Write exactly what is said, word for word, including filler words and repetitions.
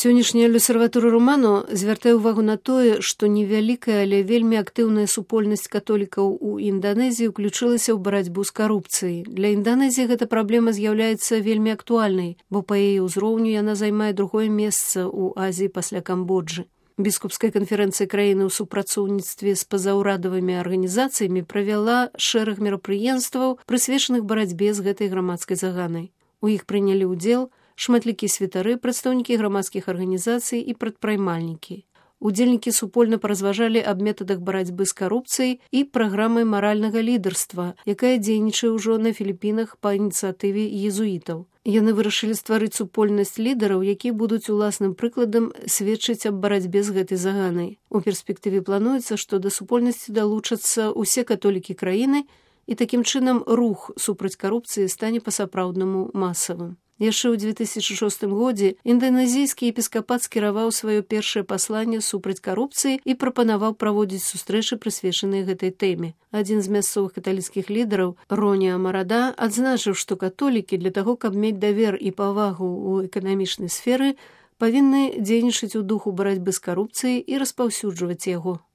Сённяшняя L'Osservatore Romano звяртае ўвагу на тое, што невялікая, але вельмі актыўная супольнасць католікаў у Інданезіі ўключылася ў барацьбу з карупцыяй. Для Інданезіі гэта праблема з'яўляецца вельмі актуальнай, бо па яе ўзроўню яна займае другое месца ў Азіі пасля Камбоджы. Біскупская канферэнцыя краіны ў супрацоўніцтве з пазаўрадавымі арганізацыямі правяла шэраг мерапрыемстваў, прысвечаных барацьбе з гэтай грамадскай заганай. У іх прынялі ўдзел шматлікія святары, прадстаўнікі грамадскіх арганізацый і прадпрымальнікі. Удзельнікі супольна паразважалі аб метадах барацьбы з карупцыяй і праграмай маральнага лідарства, якая дзейнічае ўжо на Філіпінах па ініцыятыве езуітаў. Яны вырашылі стварыць супольнасць лідараў, якія будуць уласным прыкладам сведчыць аб барацьбе з гэтай заганай. У перспектыве плануецца, што да супольнасці далучацца ўсе католікі краіны, і такім чынам рух супраць карупцыі стане па-сапраўднаму масавым. Яшчэ ў дзве тысячы шостым годзе інданезійскі епіскапат скіраваў сваё першае пасланне супраць карупцыі і прапанаваў праводзіць сустрэчы, прысвечаныя гэтай тэме. Адзін з мясцовых каталіцкіх лідараў, Роні Амарада, адзначыў, што католікі для таго, каб мець давер і павагу ў эканамічнай сферы, павінны дзейнічаць у духу барацьбы з карупцыяй і распаўсюджваць яго.